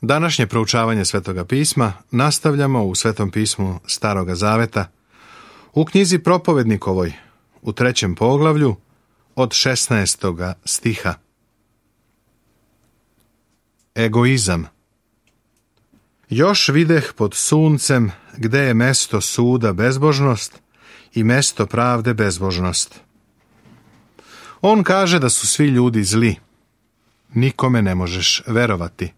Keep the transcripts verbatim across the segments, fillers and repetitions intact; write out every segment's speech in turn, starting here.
Današnje proučavanje Svetoga pisma nastavljamo u Svetom pismu Staroga Zaveta, u knjizi Propovednikovoj, u trećem poglavlju, od šesnaestoga stiha. Egoizam. Još videh pod suncem gde je mesto suda bezbožnost i mesto pravde bezbožnost. On kaže da su svi ljudi zli. Nikome ne možeš verovati.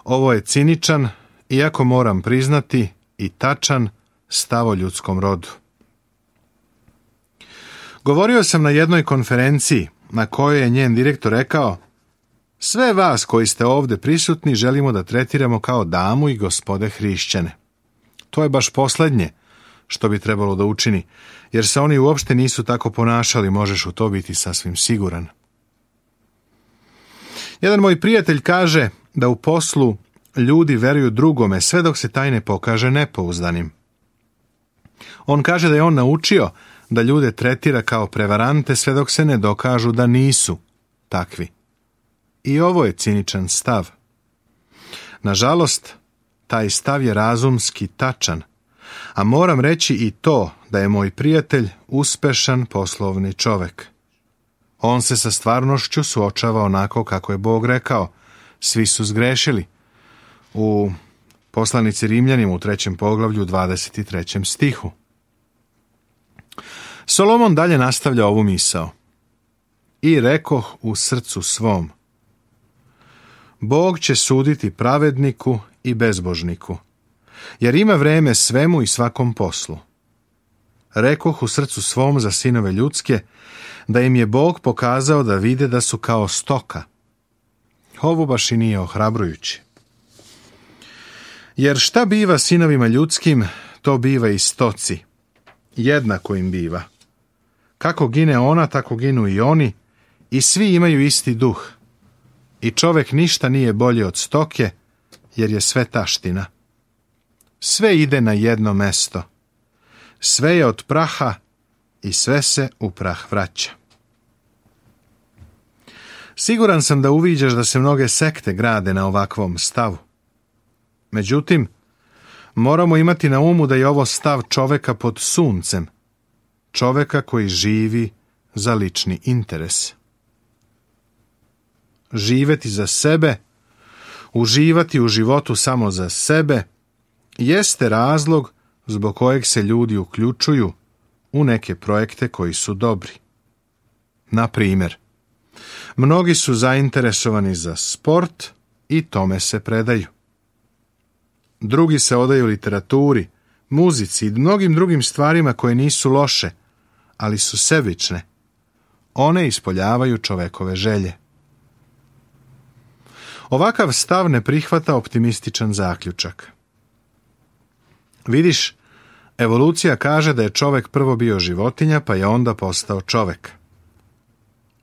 Ovo je ciničan, iako moram priznati, i tačan stav o ljudskom rodu. Govorio sam na jednoj konferenciji na kojoj je njen direktor rekao: sve vas koji ste ovdje prisutni želimo da tretiramo kao damu i gospode hrišćane. To je baš posljednje što bi trebalo da učini, jer se oni uopšte nisu tako ponašali, možeš u to biti sasvim siguran. Jedan moj prijatelj kaže da u poslu ljudi veruju drugome sve dok se taj ne pokaže nepouzdanim. On kaže da je on naučio da ljude tretira kao prevarante sve dok se ne dokažu da nisu takvi. I ovo je ciničan stav. Nažalost, taj stav je razumski tačan, a moram reći i to da je moj prijatelj uspešan poslovni čovek. On se sa stvarnošću suočava onako kako je Bog rekao: svi su zgrešili. U poslanici Rimljanima u trećem poglavlju dvadeset trećem stihu. Solomon dalje nastavlja ovu misao. I rekoh u srcu svom: Bog će suditi pravedniku i bezbožniku, jer ima vreme svemu i svakom poslu. Rekoh u srcu svom za sinove ljudske, da im je Bog pokazao da vide da su kao stoka. Ovo baš i nije ohrabrujuće. Jer šta biva sinovima ljudskim, to biva i stoci. Jednako im biva. Kako gine ona, tako ginu i oni, i svi imaju isti duh. I čovek ništa nije bolji od stoke, jer je sve taština. Sve ide na jedno mesto. Sve je od praha i sve se u prah vraća. Siguran sam da uviđaš da se mnoge sekte grade na ovakvom stavu. Međutim, moramo imati na umu da je ovo stav čoveka pod suncem, čoveka koji živi za lični interes. Živeti za sebe, uživati u životu samo za sebe, jeste razlog zbog kojeg se ljudi uključuju u neke projekte koji su dobri. Na primjer, mnogi su zainteresovani za sport i tome se predaju. Drugi se odaju literaturi, muzici i mnogim drugim stvarima koje nisu loše, ali su sebične. One ispoljavaju čovekove želje. Ovakav stav ne prihvata optimističan zaključak. Vidiš, evolucija kaže da je čovek prvo bio životinja, pa je onda postao čovek.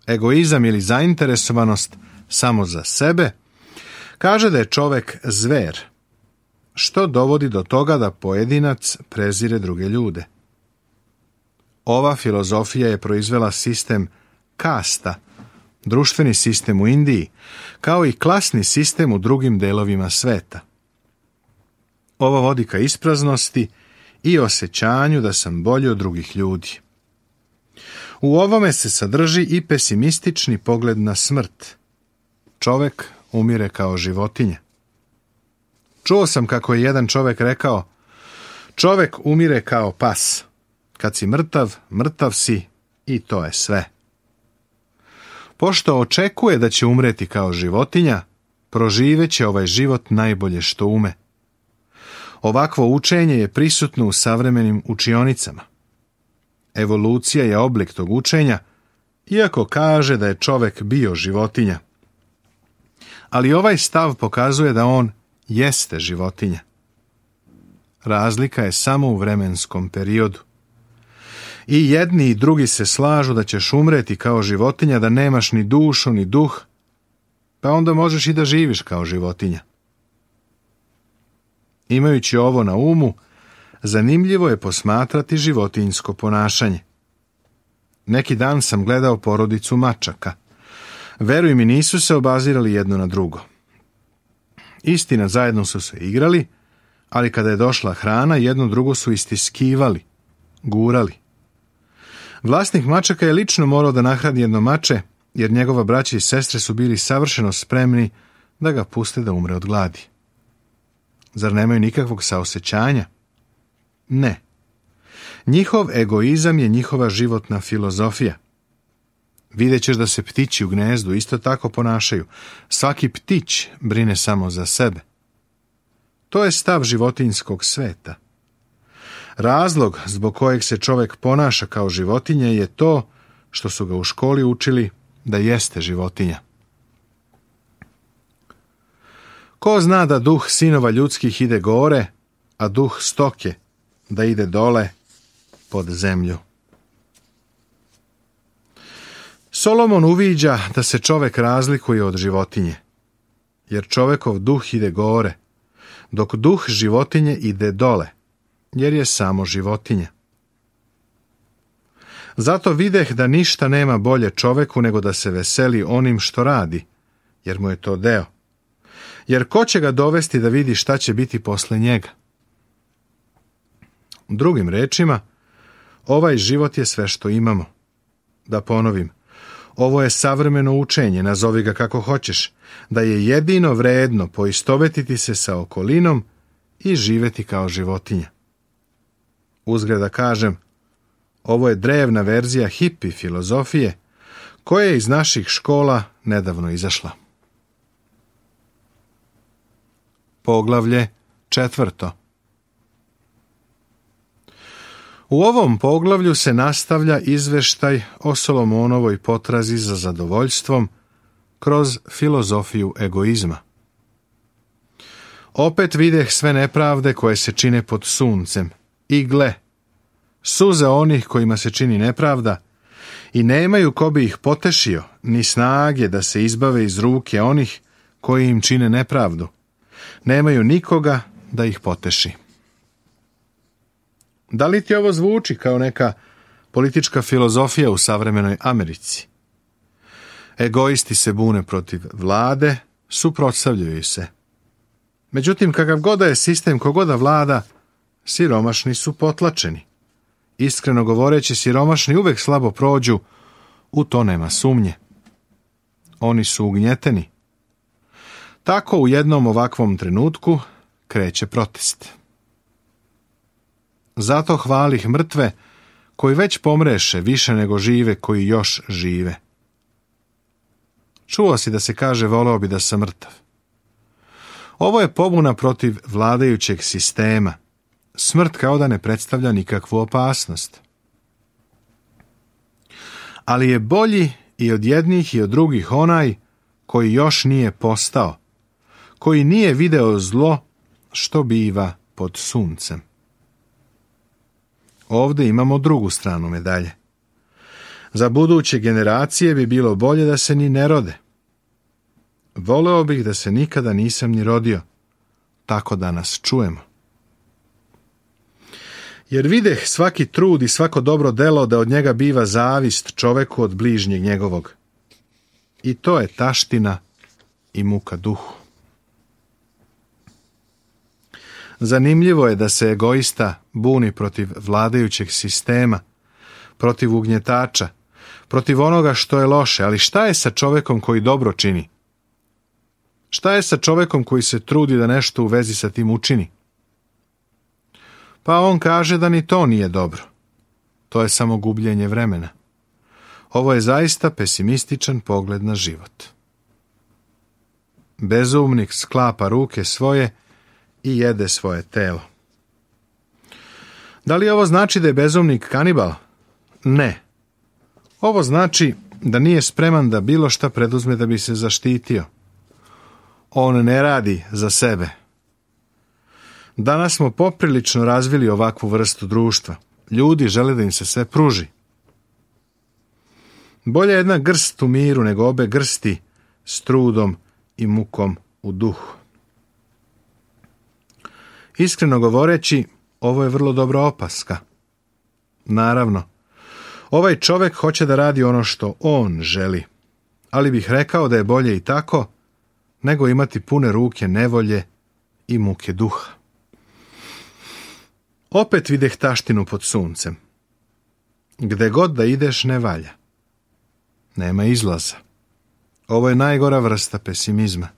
Egoizam ili zainteresovanost samo za sebe kaže da je čovek zver, što dovodi do toga da pojedinac prezire druge ljude. Ova filozofija je proizvela sistem kasta, društveni sistem u Indiji, kao i klasni sistem u drugim delovima sveta. Ovo vodi ka ispraznosti i osjećanju da sam bolji od drugih ljudi. U ovome se sadrži i pesimistični pogled na smrt. Čovek umire kao životinja. Čuo sam kako je jedan čovek rekao: čovek umire kao pas. Kad si mrtav, mrtav si i to je sve. Pošto očekuje da će umreti kao životinja, proživeće ovaj život najbolje što ume. Ovakvo učenje je prisutno u savremenim učionicama. Evolucija je oblik tog učenja, iako kaže da je čovek bio životinja. Ali ovaj stav pokazuje da on jeste životinja. Razlika je samo u vremenskom periodu. I jedni i drugi se slažu da ćeš umreti kao životinja, da nemaš ni dušu ni duh, pa onda možeš i da živiš kao životinja. Imajući ovo na umu, zanimljivo je posmatrati životinjsko ponašanje. Neki dan sam gledao porodicu mačaka. Veruj mi, nisu se obazirali jedno na drugo. Istina, zajedno su se igrali, ali kada je došla hrana, jedno drugo su istiskivali, gurali. Vlasnik mačaka je lično morao da nahrani jedno mače, jer njegova braća i sestre su bili savršeno spremni da ga puste da umre od gladi. Zar nemaju nikakvog saosećanja? Ne. Njihov egoizam je njihova životna filozofija. Vidjet ćeš da se ptići u gnezdu isto tako ponašaju. Svaki ptić brine samo za sebe. To je stav životinjskog sveta. Razlog zbog kojeg se čovjek ponaša kao životinja je to što su ga u školi učili da jeste životinja. Ko zna da duh sinova ljudskih ide gore, a duh stoke da ide dole pod zemlju. Solomon uviđa da se čovjek razlikuje od životinje, jer čovjekov duh ide gore, dok duh životinje ide dole, jer je samo životinja. Zato videh da ništa nema bolje čovjeku nego da se veseli onim što radi, jer mu je to deo. Jer ko će ga dovesti da vidi šta će biti posle njega? Drugim rečima, ovaj život je sve što imamo. Da ponovim, ovo je savremeno učenje, nazovi ga kako hoćeš, da je jedino vredno poistovetiti se sa okolinom i živjeti kao životinja. Uzgred da kažem, ovo je drevna verzija hipi filozofije koja je iz naših škola nedavno izašla. Poglavlje četvrto. U ovom poglavlju se nastavlja izveštaj o Solomonovoj potrazi za zadovoljstvom kroz filozofiju egoizma. Opet videh sve nepravde koje se čine pod suncem i gle, suze onih kojima se čini nepravda i nemaju ko bi ih potešio, ni snage da se izbave iz ruke onih koji im čine nepravdu. Nemaju nikoga da ih poteši. Da li ti ovo zvuči kao neka politička filozofija u savremenoj Americi? Egoisti se bune protiv vlade, suprotstavljaju se. Međutim, kakav god da je sistem, kogoda vlada, siromašni su potlačeni. Iskreno govoreći, siromašni uvek slabo prođu, u to nema sumnje. Oni su ugnjeteni. Tako u jednom ovakvom trenutku kreće protest. Zato hvalih mrtve koji već pomreše više nego žive koji još žive. Čuo si da se kaže voleo bi da sam mrtav. Ovo je pobuna protiv vladajućeg sistema. Smrt kao da ne predstavlja nikakvu opasnost. Ali je bolji i od jednih i od drugih onaj koji još nije postao, koji nije video zlo što biva pod suncem. Ovdje imamo drugu stranu medalje. Za buduće generacije bi bilo bolje da se ni ne rode. Voleo bih da se nikada nisam ni rodio, tako da nas čujemo. Jer videh svaki trud i svako dobro delo da od njega biva zavist čoveku od bližnjeg njegovog. I to je taština i muka duhu. Zanimljivo je da se egoista buni protiv vladajućeg sistema, protiv ugnjetača, protiv onoga što je loše, ali šta je sa čovekom koji dobro čini? Šta je sa čovekom koji se trudi da nešto u vezi sa tim učini? Pa on kaže da ni to nije dobro. To je samo gubljenje vremena. Ovo je zaista pesimističan pogled na život. Bezumnik sklapa ruke svoje i jede svoje telo. Da li ovo znači da je bezumnik kanibal? Ne. Ovo znači da nije spreman da bilo šta preduzme da bi se zaštitio. On ne radi za sebe. Danas smo poprilično razvili ovakvu vrstu društva. Ljudi žele da im se sve pruži. Bolje jedna grst u miru nego obe grsti s trudom i mukom u duhu. Iskreno govoreći, ovo je vrlo dobra opaska. Naravno, ovaj čovjek hoće da radi ono što on želi, ali bih rekao da je bolje i tako, nego imati pune ruke nevolje i muke duha. Opet videh taštinu pod suncem. Gde god da ideš ne valja. Nema izlaza. Ovo je najgora vrsta pesimizma.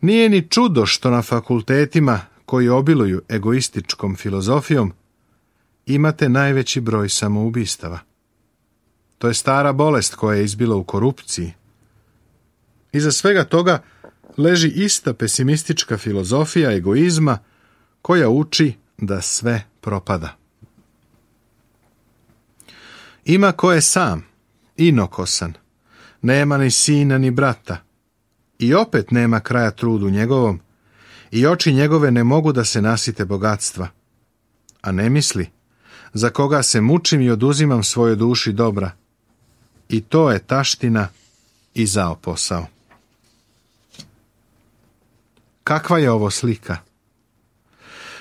Nije ni čudo što na fakultetima koji obiluju egoističkom filozofijom imate najveći broj samoubistava. To je stara bolest koja je izbila u korupciji. Iza svega toga leži ista pesimistička filozofija egoizma koja uči da sve propada. Ima ko je sam, inokosan, nema ni sina ni brata, i opet nema kraja trudu njegovom, i oči njegove ne mogu da se nasite bogatstva, a ne misli, za koga se mučim i oduzimam svojoj duši dobra, i to je taština i zao posao. Kakva je ovo slika?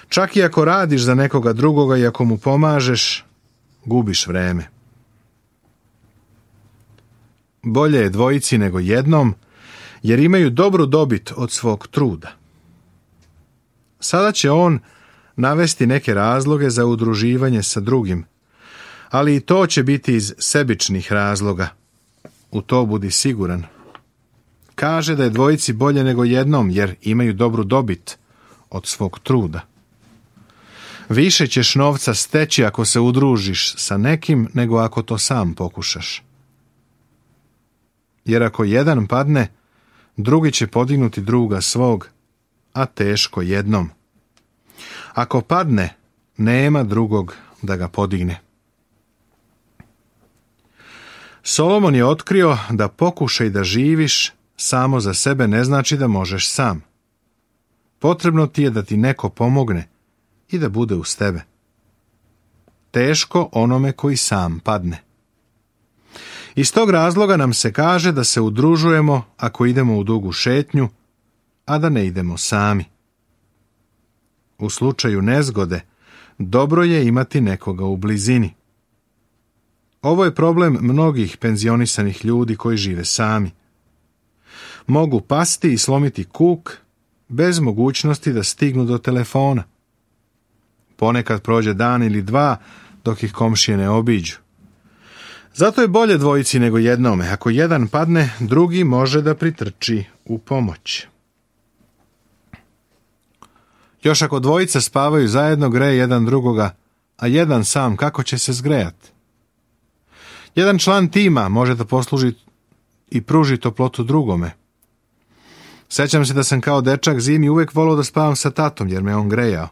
Čak i ako radiš za nekoga drugoga i ako mu pomažeš, gubiš vreme. Bolje je dvojici nego jednom, jer imaju dobru dobit od svog truda. Sada će on navesti neke razloge za udruživanje sa drugim, ali i to će biti iz sebičnih razloga. U to budi siguran. Kaže da je dvojici bolje nego jednom, jer imaju dobru dobit od svog truda. Više ćeš novca steći ako se udružiš sa nekim, nego ako to sam pokušaš. Jer ako jedan padne, drugi će podignuti druga svog, a teško jednom. Ako padne, nema drugog da ga podigne. Solomon je otkrio da pokušaj da živiš samo za sebe ne znači da možeš sam. Potrebno ti je da ti neko pomogne i da bude uz tebe. Teško onome koji sam padne. Iz tog razloga nam se kaže da se udružujemo ako idemo u dugu šetnju, a da ne idemo sami. U slučaju nezgode, dobro je imati nekoga u blizini. Ovo je problem mnogih penzionisanih ljudi koji žive sami. Mogu pasti i slomiti kuk bez mogućnosti da stignu do telefona. Ponekad prođe dan ili dva dok ih komšije ne obiđu. Zato je bolje dvojici nego jednome. Ako jedan padne, drugi može da pritrči u pomoć. Još ako dvojica spavaju zajedno, greje jedan drugoga, a jedan sam kako će se zgrejati? Jedan član tima može da posluži i pruži toplotu drugome. Sećam se da sam kao dečak zimi uvek volao da spavam sa tatom, jer me on grejao.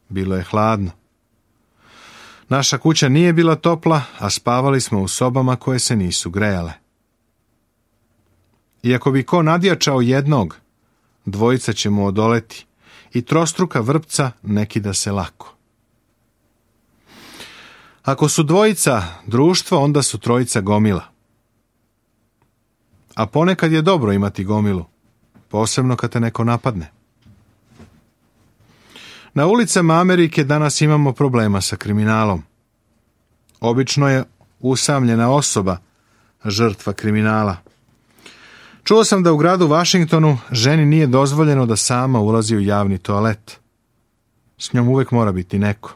Bilo je hladno. Naša kuća nije bila topla, a spavali smo u sobama koje se nisu grejale. Iako bi ko nadjačao jednog, dvojica će mu odoleti i trostruka vrpca neki da se lako. Ako su dvojica društvo, onda su trojica gomila. A ponekad je dobro imati gomilu, posebno kad te neko napadne. Na ulicama Amerike danas imamo problema sa kriminalom. Obično je usamljena osoba žrtva kriminala. Čuo sam da u gradu Washingtonu ženi nije dozvoljeno da sama ulazi u javni toalet. S njom uvek mora biti neko.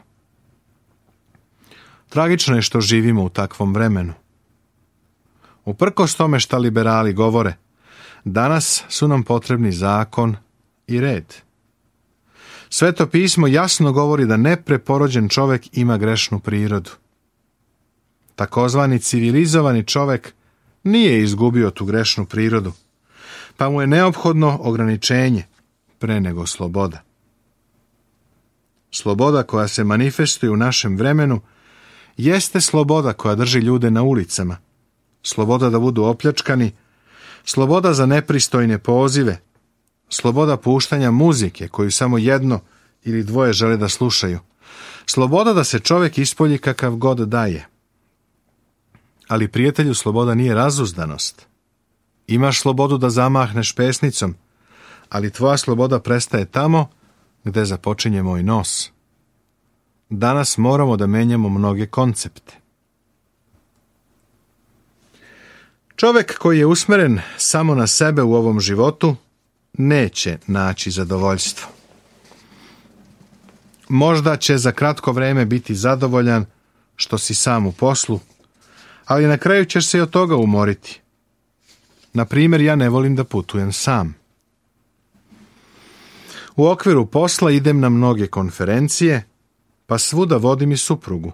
Tragično je što živimo u takvom vremenu. Uprkos tome šta liberali govore, danas su nam potrebni zakon i red. Sveto pismo jasno govori da nepreporođen čovek ima grešnu prirodu. Takozvani civilizovani čovek nije izgubio tu grešnu prirodu, pa mu je neophodno ograničenje pre nego sloboda. Sloboda koja se manifestuje u našem vremenu jeste sloboda koja drži ljude na ulicama, sloboda da budu opljačkani, sloboda za nepristojne pozive, sloboda puštanja muzike koju samo jedno ili dvoje žele da slušaju, sloboda da se čovjek ispolji kakav god daje. Ali prijatelju, sloboda nije razuzdanost. Imaš slobodu da zamahneš pesnicom, ali tvoja sloboda prestaje tamo gde započinje moj nos. Danas moramo da menjamo mnoge koncepte. Čovjek koji je usmeren samo na sebe u ovom životu neće naći zadovoljstvo. Možda će za kratko vrijeme biti zadovoljan što si sam u poslu, ali na kraju ćeš se i od toga umoriti. Na primjer, ja ne volim da putujem sam. U okviru posla idem na mnoge konferencije, pa svuda vodim i suprugu.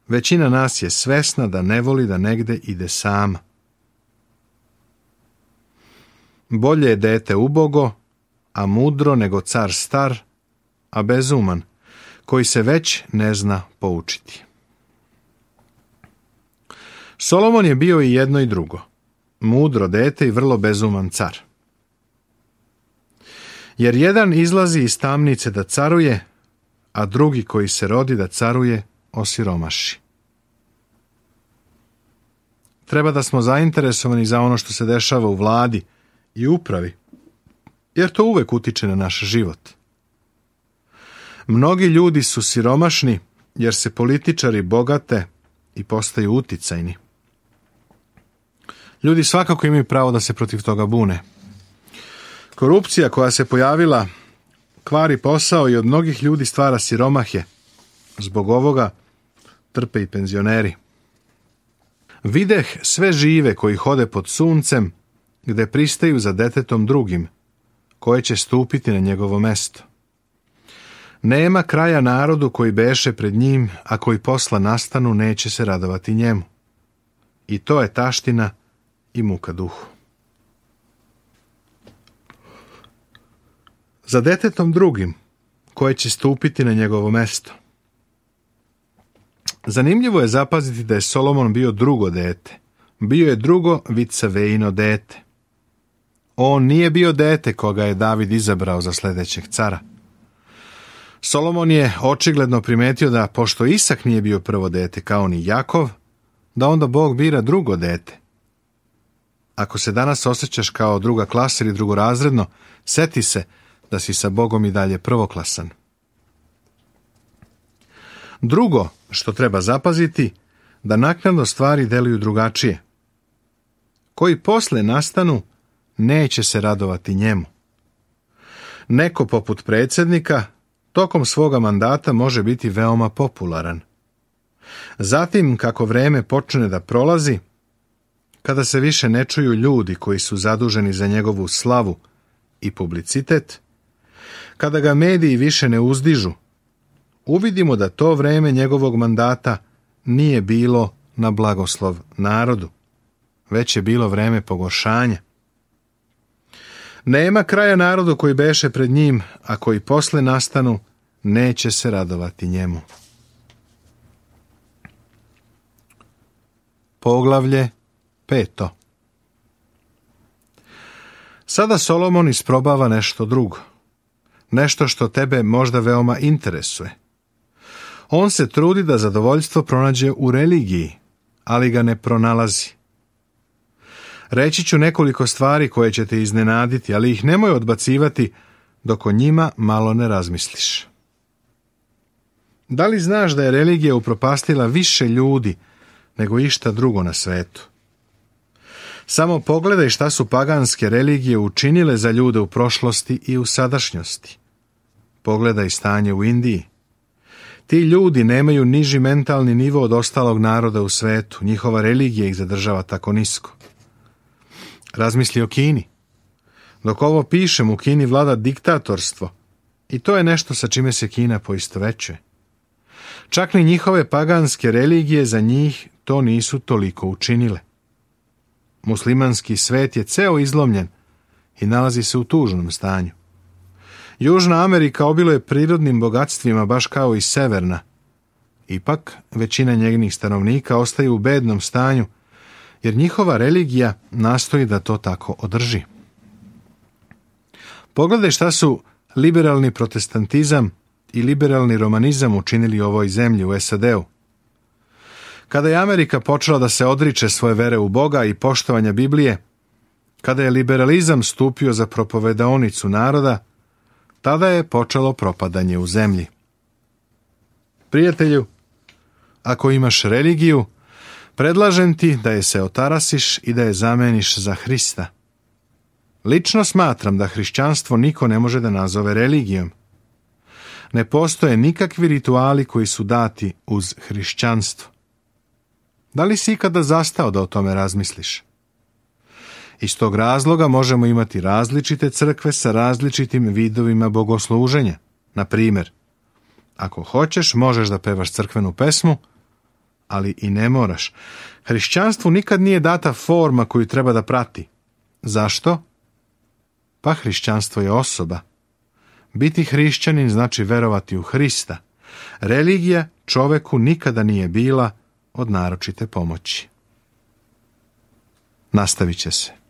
Većina nas je svesna da ne voli da negde ide sama. Bolje je dete ubogo, a mudro nego car star, a bezuman, koji se već ne zna poučiti. Solomon je bio i jedno i drugo, mudro dete i vrlo bezuman car. Jer jedan izlazi iz tamnice da caruje, a drugi koji se rodi da caruje osiromaši. Treba da smo zainteresovani za ono što se dešava u vladi i upravi, jer to uvek utiče na naš život. Mnogi ljudi su siromašni jer se političari bogate i postaju uticajni. Ljudi svakako imaju pravo da se protiv toga bune. Korupcija koja se pojavila kvari posao i od mnogih ljudi stvara siromahe. Zbog ovoga trpe i penzioneri. Videh sve žive koji hode pod suncem, gde pristaju za detetom drugim, koje će stupiti na njegovo mesto. Nema kraja narodu koji beše pred njim, a koji posla nastanu neće se radovati njemu. I to je taština i muka duhu. Za detetom drugim, koje će stupiti na njegovo mesto. Zanimljivo je zapaziti da je Solomon bio drugo dete. Bio je drugo Vicavejino dete. On nije bio dete koga je David izabrao za sljedećeg cara. Solomon je očigledno primetio da, pošto Isak nije bio prvo dete kao ni Jakov, da onda Bog bira drugo dete. Ako se danas osjećaš kao druga klasa ili drugorazredno, seti se da si sa Bogom i dalje prvoklasan. Drugo što treba zapaziti, da naknadno stvari deluju drugačije. Koji posle nastanu, neće se radovati njemu. Neko poput predsjednika tokom svoga mandata može biti veoma popularan. Zatim, kako vreme počne da prolazi, kada se više ne čuju ljudi koji su zaduženi za njegovu slavu i publicitet, kada ga mediji više ne uzdižu, uvidimo da to vreme njegovog mandata nije bilo na blagoslov narodu, već je bilo vreme pogoršanja. Nema kraja narodu koji beše pred njim, a koji posle nastanu, neće se radovati njemu. Poglavlje peto. Sada Solomon isprobava nešto drugo. Nešto što tebe možda veoma interesuje. On se trudi da zadovoljstvo pronađe u religiji, ali ga ne pronalazi. Reći ću nekoliko stvari koje će te iznenaditi, ali ih nemoj odbacivati dok o njima malo ne razmisliš. Da li znaš da je religija upropastila više ljudi nego išta drugo na svetu? Samo pogledaj šta su paganske religije učinile za ljude u prošlosti i u sadašnjosti. Pogledaj stanje u Indiji. Ti ljudi nemaju niži mentalni nivo od ostalog naroda u svetu. Njihova religija ih zadržava tako nisko. Razmisli o Kini. Dok ovo pišem, u Kini vlada diktatorstvo i to je nešto sa čime se Kina poistovećuje. Čak ni njihove paganske religije za njih to nisu toliko učinile. Muslimanski svet je ceo izlomljen i nalazi se u tužnom stanju. Južna Amerika obiluje prirodnim bogatstvima baš kao i severna. Ipak, većina njenih stanovnika ostaje u bednom stanju, jer njihova religija nastoji da to tako održi. Pogledaj šta su liberalni protestantizam i liberalni romanizam učinili ovoj zemlji u S A D-u. Kada je Amerika počela da se odriče svoje vere u Boga i poštovanja Biblije, kada je liberalizam stupio za propovedaonicu naroda, tada je počelo propadanje u zemlji. Prijatelju, ako imaš religiju, Predlažem ti da je se otarasiš i da je zameniš za Hrista. Lično smatram da hrišćanstvo niko ne može da nazove religijom. Ne postoje nikakvi rituali koji su dati uz hrišćanstvo. Da li si ikada zastao da o tome razmisliš? Iz tog razloga možemo imati različite crkve sa različitim vidovima bogosluženja. Na primjer, ako hoćeš, možeš da pevaš crkvenu pesmu, ali i ne moraš. Hrišćanstvu nikad nije data forma koju treba da prati. Zašto? Pa hrišćanstvo je osoba. Biti hrišćanin znači verovati u Hrista. Religija čoveku nikada nije bila od naročite pomoći. Nastavit će se.